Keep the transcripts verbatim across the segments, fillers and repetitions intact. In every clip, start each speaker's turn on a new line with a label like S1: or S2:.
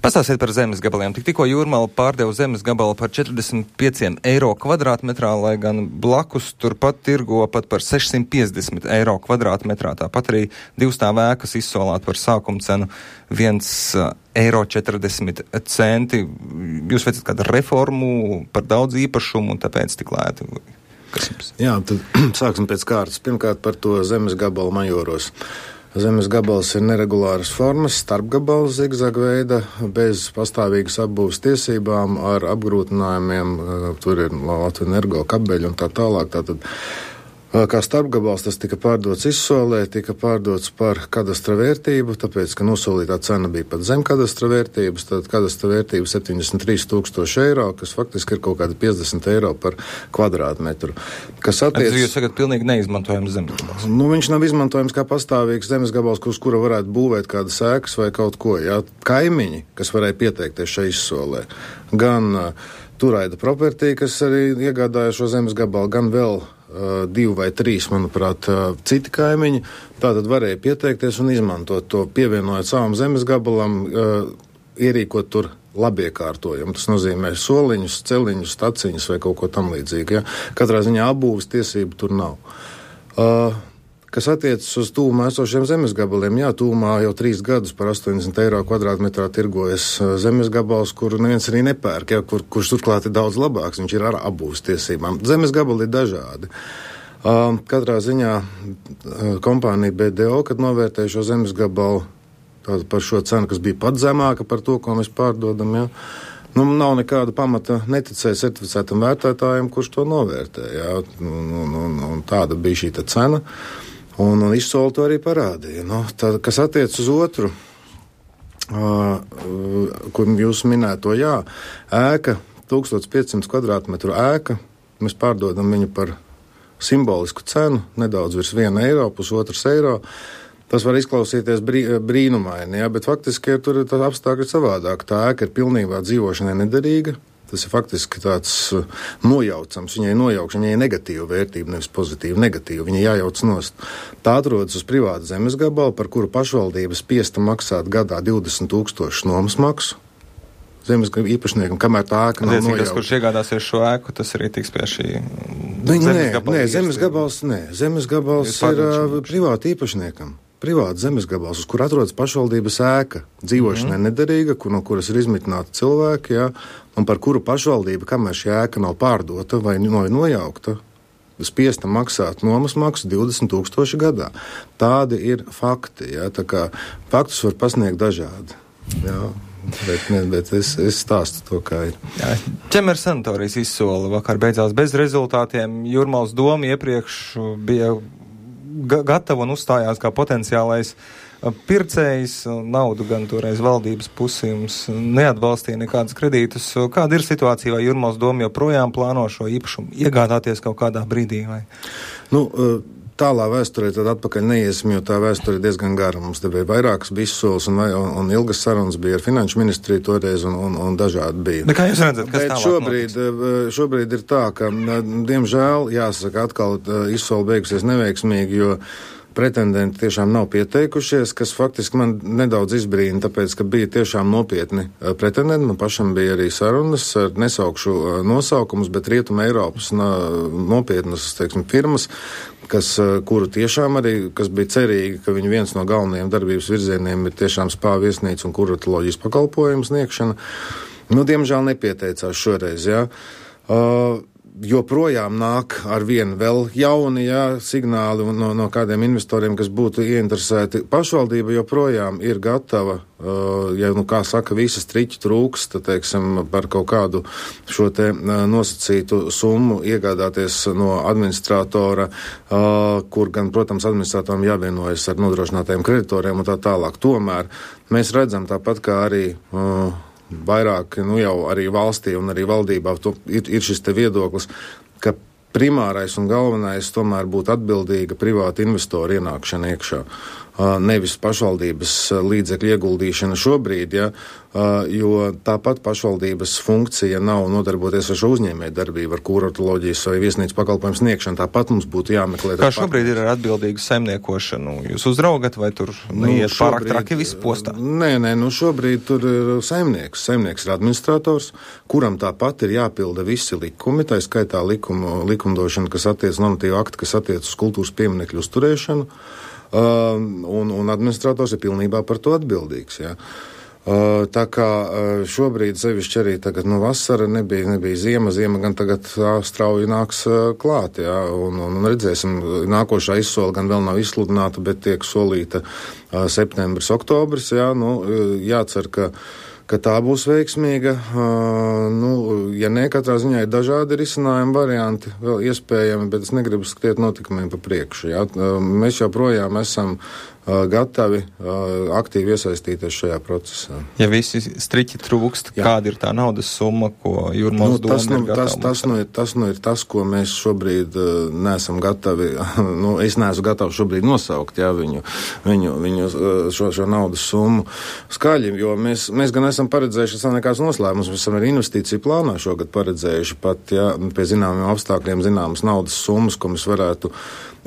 S1: Pastāstiet par zemes gabaliem. Tik tikko Jūrmala pārdeva zemes gabalu par četrdesmit pieci eiro kvadrātmetrā, lai gan blakus turpat tirgo pat par sešsimt piecdesmit eiro kvadrātmetrā. Tāpat arī divstāv ēkas izsolāt par sākuma cenu viens eiro četrdesmit centi. Jūs veicat kādu reformu par daudz īpašumu un tāpēc tik lēti? Kas jums?
S2: Jā, tad sāksim pēc kārtas. Pirmkārt par to zemes gabalu Majoros. Zemes gabals ir neregulāras formas, starpgabals zigzaga veida, bez pastāvīgas apbūves tiesībām, ar apgrūtinājumiem, tur ir Latvijas energo kabeļi un tā tālāk. Tātad, kā starpgabals tas tika pārdots izsolē, tika pārdots par kadastra vērtību, tāpēc, ka nosolītā cena bija pat zem kadastra vērtības, tad kadastra vērtība septiņdesmit trīs tūkstoši eiro, kas faktiski ir kaut kādi piecdesmit eiro par kvadrātmetru. Kas attiec...
S1: Jūs sakat, pilnīgi neizmantojams zemes gabals.
S2: Nu, viņš nav izmantojams kā pastāvīgs zemes gabals, uz kura varētu būvēt kādas ēkas vai kaut ko. Jā. Kaimiņi, kas varēja pieteikties šai izsolē, gan uh, Turaida Property, kas arī iegādāja šo zemes gabalu, gan vēl Uh, divi vai trīs, manuprāt, uh, citi kaimiņi, tātad varēja pieteikties un izmantot to, pievienojot savam zemes gabalam, uh, ierīkot tur labiekārtojumu. Tas nozīmē soliņus, celiņus, staciņus vai kaut ko tam līdzīgu. Ja? Katrā ziņā apbūves tiesību tur nav. Uh, kas attiecas uz tūmā esošiem zemes gabaliem, jā, tūmā jau trīs gadus par astoņdesmit eiro kvadrātmetrā tirgojas zemes gabals, kuru neviens arī nepērk, ja, kur, kurš turklāt ir daudz labāks, viņš ir ar apbūves tiesībām. Zemes gabali ir dažādi. Uh, katrā ziņā uh, kompānija B D O, kad novērtēja šo zemes gabalu par šo cenu, kas bija pat zemāka par to, ko mēs pārdodam, ja, nu, nav nekāda pamata neticēt certificētam vērtētājiem, kurš to novērtē, ja, un, un, un, un tāda bija šī cena. Un, un izsoli to arī parādīja. Nu, tā, kas attiec uz otru, uh, kur jūs minēto, jā, ēka, tūkstoš piecsimt kvadrātmetru ēka, mēs pārdodam viņu par simbolisku cenu, nedaudz virs viena eiro, pusotras eiro. Tas var izklausīties brī, brīnumaini, jā, bet faktiski ir tur tā apstākļi savādāk. Tā ēka ir pilnībā dzīvošanai nederīga. Tas ir faktiski tāds uh, nojaucams, viņai nojaukšana, viņai negatīva vērtība, nevis pozitīva, negatīva, viņai jājauc nost. Tā atrodas uz privāta zemes gabalu, par kuru pašvaldība spiesta maksāt gadā divdesmit tūkstoši nomas maksu zemes īpašniekam, kamēr tā ēka nav nojaukta.
S1: Tas, kurš iegādāsies šo ēku, tas arī tiks pie šī
S2: nē, zemes gabala. Nē, zemes gabals, nē, zemes gabals ir uh, privāta īpašniekam. Privāta zemes gabals, uz kur atrodas pašvaldības ēka, dzīvošanai mm-hmm. nederīga, kur, no kuras ir izmitināti cilvēki, jā, un par kuru pašvaldība, kamēr šī ēka nav pārdota vai nojaukta, spiesta maksāt nomas maksu divdesmit tūkstoši gadā. Tādi ir fakti, jā, tā kā faktus var pasniegt dažādi, jā. Bet, ne, bet es, es stāstu to, kā ir.
S1: Jā, Ķemeres sanatorijas izsola vakar beidzās bez rezultātiem. Jūrmalas doma iepriekš bija ga- gatava un uzstājās kā potenciālais pircējs. Naudu gan toreiz valdības pusi jums neatbalstīja nekādas kredītus. Kāda ir situācija, vai Jūrmalas doma joprojām plāno šo īpašumu iegādāties kaut kādā brīdī? Vai?
S2: Nu, tālā vēsturē tad atpakaļ neiesim, jo tā vēsture ir diezgan gara. Mums te bija vairākas bija izsoles un, un, un ilgas sarunas bija ar finanšu ministriju toreiz un, un, un dažādi bija.
S1: Bet kā jūs redzat, kas
S2: Bet
S1: tālāk
S2: šobrīd,
S1: notiks?
S2: šobrīd ir tā, ka, diemžēl, jāsaka, atkal izsole beigusies neveiksmīgi, jo pretendenti tiešām nav pieteikušies, kas faktiski man nedaudz izbrīna, tāpēc, ka bija tiešām nopietni pretendenti. Man pašam bija arī sarunas, nesaukšu nosaukumus, bet Rietuma Eiropas nopietnas, teiksim, firmas, kas, kuru tiešām arī, kas bija cerīgi, ka viņu viens no galvenajiem darbības virzieniem ir tiešām spā viesnīca un kuratoloģijas pakalpojumu sniegšana. Nu, diemžēl nepieteicās šoreiz, jā. Uh, joprojām nāk ar vienu vēl jauni, jā, signāli no, no kādiem investoriem, kas būtu ieinteresēti. Pašvaldība joprojām ir gatava, uh, ja, nu, kā saka, visas triķi trūks, tad, teiksim, par kaut kādu šo te uh, nosacītu summu iegādāties no administratora, uh, kur gan, protams, administratoram jāvienojas ar nodrošinātajiem kreditoriem un tā tālāk. Tomēr mēs redzam tāpat kā arī uh, vairāk, nu jau arī valstī un arī valdībā to, ir, ir šis te viedoklis, ka primārais un galvenais tomēr būtu atbildīga privāta investora ienākšana iekšā. nevis pašvaldības līdzekļu ieguldīšana šobrīd, ja, jo tāpat pašvaldības funkcija nav nodarboties ar šo uzņēmēju darbību, ar kuratoroloģijas vai viesnīcas pakalpojumu sniegšanu. Tāpat mums būtu jāmeklē.
S1: Kā šobrīd ir ar atbildīgu saimniekošanu? Jūs uzraugat vai tur neiet nu, pārāk traki viss postā?
S2: Nē, nē, nu šobrīd tur ir saimnieks. Saimnieks ir administrators, kuram tāpat ir jāpilda visi likumi, tā skaitā likumu, likumdošana, kas attiec normatīvu aktu, kas attiec uz kultūras pieminekļu uzturēšanu. Uh, un, un administrators ir pilnībā par to atbildīgs. Ja. Uh, tā kā uh, šobrīd sevišķi arī tagad no vasara nebija, nebija ziema, ziema gan tagad uh, strauji nāks uh, klāt. Ja, un, un redzēsim, nākošā izsola gan vēl nav izsludināta, bet tiek solīta uh, septembris, oktobris. Ja, nu, jācer, ka ka tā būs veiksmīga. Uh, nu, ja ne, katrā ziņā ir dažādi risinājumi varianti, vēl iespējami, bet es negribu skriet notikumiem pa priekšu. Ja? Uh, mēs joprojām esam uh, gatavi uh, aktīvi iesaistīties šajā procesā.
S1: Ja visi striķi trūkst, jā. Kāda ir tā naudas summa, ko Jūrmālas nu, doma
S2: nu,
S1: ir gatava?
S2: Tas, tas, nu ir, tas nu ir tas, ko mēs šobrīd uh, neesam gatavi, nu, es neesmu gatavs šobrīd nosaukt, ja, viņu, viņu, viņu šo, šo naudas summu skaļi, jo mēs, mēs gan esam esam paredzējuši, tas nav nekāds noslēpums, mēs esam arī investīciju plānā šogad paredzējuši pat, ja pie zināmiem apstākļiem zināmas naudas summas, ko mēs varētu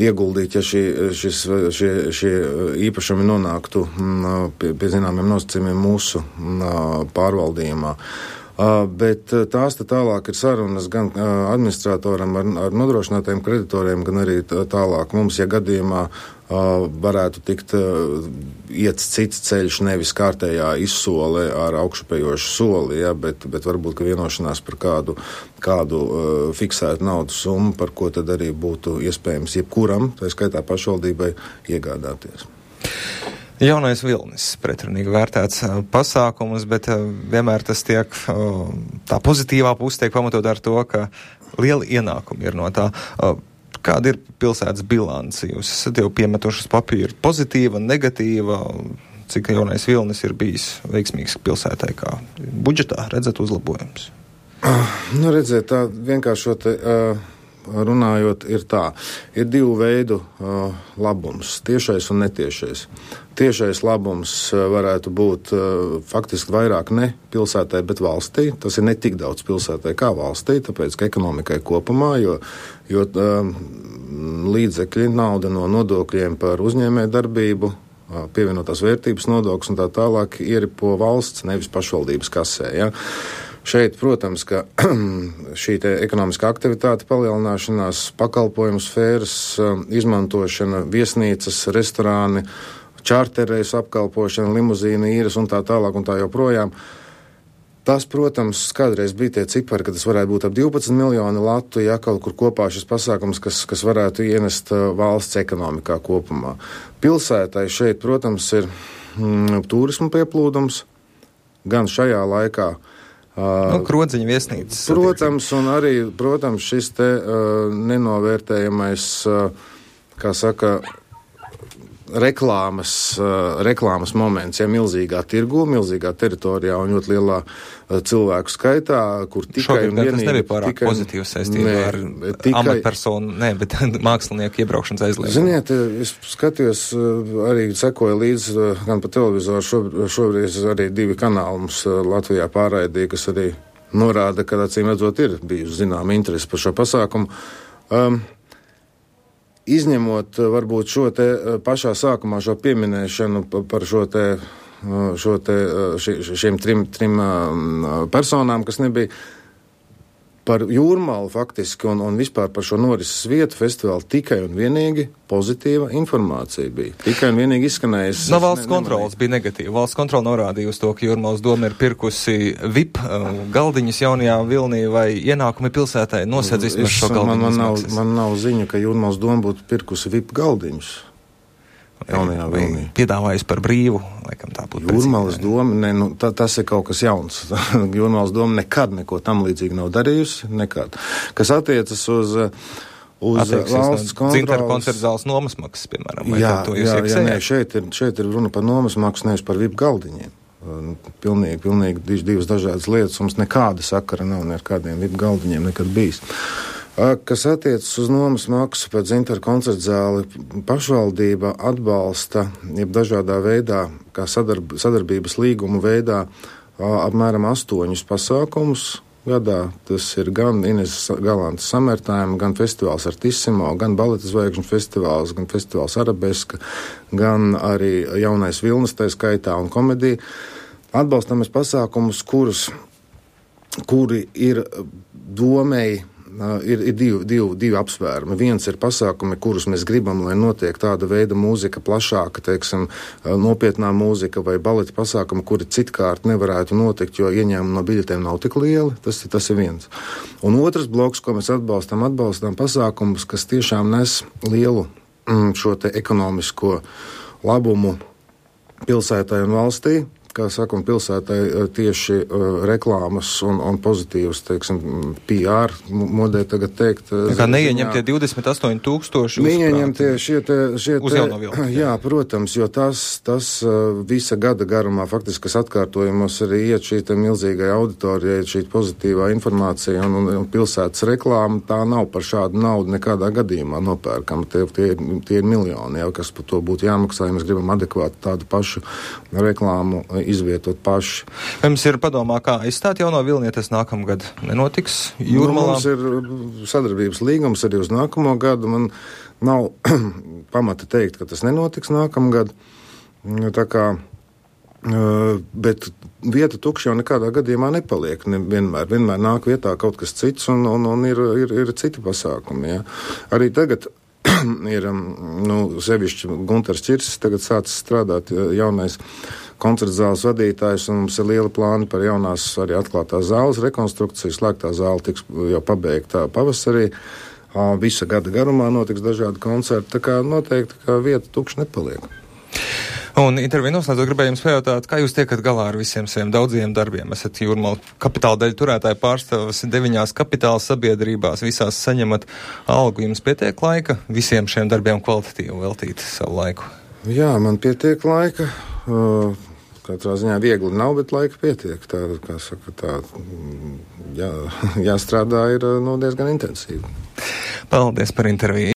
S2: ieguldīt, ja šī, šis, šie, šie īpašumi nonāktu pie, pie zināmiem nosacījumiem mūsu pārvaldījumā. Uh, bet uh, tās te tālāk ir sarunas gan uh, administratoram ar, ar nodrošinātajiem kreditoriem, gan arī tālāk mums, ja gadījumā uh, varētu tikt uh, iets cits ceļš, nevis kārtējā izsole ar augšupējošu soli, ja, bet, bet varbūt, ka vienošanās par kādu, kādu uh, fiksētu naudas summu, par ko tad arī būtu iespējams jebkuram, tā skaitā pašvaldībai, iegādāties.
S1: Jaunais vilnis, pretrunīgi vērtēts pasākums, bet vienmēr tas tiek, tā pozitīvā puse tiek pamatot ar to, ka liela ienākumi ir no tā. Kāda ir pilsētas bilance? Jūs esat jau piemetušas papīru pozitīva, negatīva, cik jaunais vilnis ir bijis veiksmīgs pilsētai, kā budžetā redzat uzlabojums?
S2: Nu, redzēt, tā vienkāršot uh, runājot ir tā. Ir divu veidu uh, labums, tiešais un netiešais. Tiešais labums varētu būt uh, faktiski vairāk ne pilsētai, bet valstī. Tas ir ne tik daudz pilsētai kā valstī, tāpēc, ka ekonomikai kopumā, jo, jo uh, līdzekļi, nauda no nodokļiem par uzņēmēju darbību, uh, pievienotās vērtības nodoklis un tā tālāk ieripo valsts, nevis pašvaldības kasē, ja. Šeit, protams, ka šī te ekonomiskā aktivitāte palielināšanās, pakalpojumu sfēras izmantošana, viesnīcas, restorāni, čārterreis apkalpošana, limuzīna, īres un tā tālāk un tā joprojām. Tas, protams, kādreiz bija tie cipari, ka tas varētu būt ap divpadsmit miljoni latu, ja kaut kur kopā šis pasākums, kas, kas varētu ienest valsts ekonomikā kopumā. Pilsētai šeit, protams, ir mm, turismu pieplūdums, gan šajā laikā,
S1: Nu, Krodziņa viesnīcas.
S2: Protams, un arī, protams, šis te uh, nenovērtējamais, uh, kā saka, reklāmas, uh, reklāmas moments, ja milzīgā tirgu, milzīgā teritorijā un ļoti lielā uh, cilvēku skaitā, kur tikai
S1: Šogad,
S2: un vienīgi...
S1: Tas nebija pārāk tikai, pozitīvs saistībā ar tikai, amatpersonu, ne, bet mākslinieku iebraukšanas aizliegumu.
S2: Ziniet, es skatījos, uh, arī sekoju līdz uh, gan pa televizoru, šobrīd, šobrīd arī divi kanāli mums uh, Latvijā pārraidīja, kas arī norāda, ka acīm redzot ir bijusi zinām interesi par šo pasākumu. Um, Izņemot varbūt šo te pašā sākumā šo pieminēšanu par šo te, šo te ši, šiem trim, trim personām, kas nebija par Jūrmalu faktiski un, un vispār par šo norises vietu festivālu tikai un vienīgi pozitīva informācija bija. Tikai un vienīgi izskanējis.
S1: No valsts ne, kontrolas bija negatīva. Valsts kontrola norādīja uz to, ka Jūrmalas doma ir pirkusi V I P uh, galdiņus jaunajā vilnī vai ienākumi pilsētai nosedz vismaz šo galdiņu.
S2: Man, man, nav, man nav ziņu, ka Jūrmalas doma būtu pirkusi V I P galdiņus. Jaunajā vilnī.
S1: Piedāvājas par brīvu, laikam tā būtu.
S2: Jūrmalas doma, ne, nu, tā, tas ir kaut kas jauns. Jūrmalas doma nekad neko tam līdzīgi nav darījusi, nekad. Kas attiecas uz, uz valsts kontrolas...
S1: Dzintaru koncertu zāles nomas maksas, piemēram.
S2: Jā, jā, jā, nē, šeit ir, šeit ir runa par nomas maksu, nevis par V I P galdiņiem. Pilnīgi, pilnīgi divas dažādas lietas. Mums nekāda sakara nav ne ar kādiem V I P galdiņiem nekad bijis. Kas attiecas uz nomas maksu pēc Zintaru koncerta zāli, pašvaldība atbalsta, jeb dažādā veidā, kā sadarb, sadarbības līgumu veidā, apmēram astoņus pasākumus gadā. Tas ir gan Ines Galantas samertājuma, gan festivāls Artissimo, gan baleta zvaigžņu festivāls, gan festivāls Arabeska, gan arī Jaunais Vilnis, tā skaitā, un komedija. Atbalstamies pasākumus, kurus, kuri ir domēji, Ir, ir divi, divi, divi apsvērumi. Viens ir pasākumi, kurus mēs gribam, lai notiek tāda veida mūzika plašāka, teiksim, nopietnā mūzika vai baleta pasākumi, kuri citkārt nevarētu notikt, jo ieņēmumi no biļetēm nav tik lieli. Tas, tas ir viens. Un otrs bloks, ko mēs atbalstam, atbalstam pasākumus, kas tiešām nes lielu mm, šo te ekonomisko labumu pilsētai un valstī. Kā saka, un pilsētai tieši uh, reklāmas un, un pozitīvas, teiksim, P R modē tagad teikt.
S1: Tā kā neieņemtie divdesmit astoņi tūkstoši
S2: Neieņemtie šie te, šie
S1: uz
S2: te,
S1: jauno vilni.
S2: Jā, protams, jo tas, tas uh, visa gada garumā faktiski, kas atkārtojumos arī iet šī te milzīgai auditorijai, šī pozitīvā informācija un, un, un pilsētas reklāma, tā nav par šādu naudu nekādā gadījumā nopērkama. Tie, tie, tie ir miljoni, jau, kas par to būtu jāmaksā, ja mēs gribam adekvāti tādu pašu reklāmu izvietot paši.
S1: Jums ir padomā, kā aizstāt jauno vilni, ja tas nākamgad nenotiks Jūrmalā?
S2: Nu, mums ir sadarbības līgums arī uz nākamo gadu. Man nav pamata teikt, ka tas nenotiks nākamgad. Tā kā, bet vieta tukša jau nekādā gadījumā nepaliek. Ne, vienmēr, vienmēr nāk vietā kaut kas cits un, un, un ir, ir, ir citi pasākumi. Ja. Arī tagad ir, nu, sevišķi Guntars Čirsis tagad sācis strādāt jaunais koncerta zāles vadītājs, un mums ir liela plāna par jaunās arī atklātās zāles rekonstrukciju. Slēgtā zāle tiks jau pabeigta pavasarī. Visa gada garumā notiks dažādi koncerti, tā kā noteikti, ka vieta tukša nepaliek.
S1: Un interviju noslēdzot gribēju jums pajautāt, kā jūs tiekat galā ar visiem saviem daudziem darbiem? Esat Jūrmala kapitāla daļu turētāji, pārstāvas deviņās kapitāla sabiedrībās, visās saņemat algu. Jums pietiek laika visiem šiem darbiem kvalitatīvi veltīt savu laiku? Jā,
S2: man pietiek laika. Uh, Katrā ziņā viegli nav, bet laika pietiek. Tā, kā saka, tā jā, jāstrādā ir nu, diezgan intensīvi. Paldies par interviju.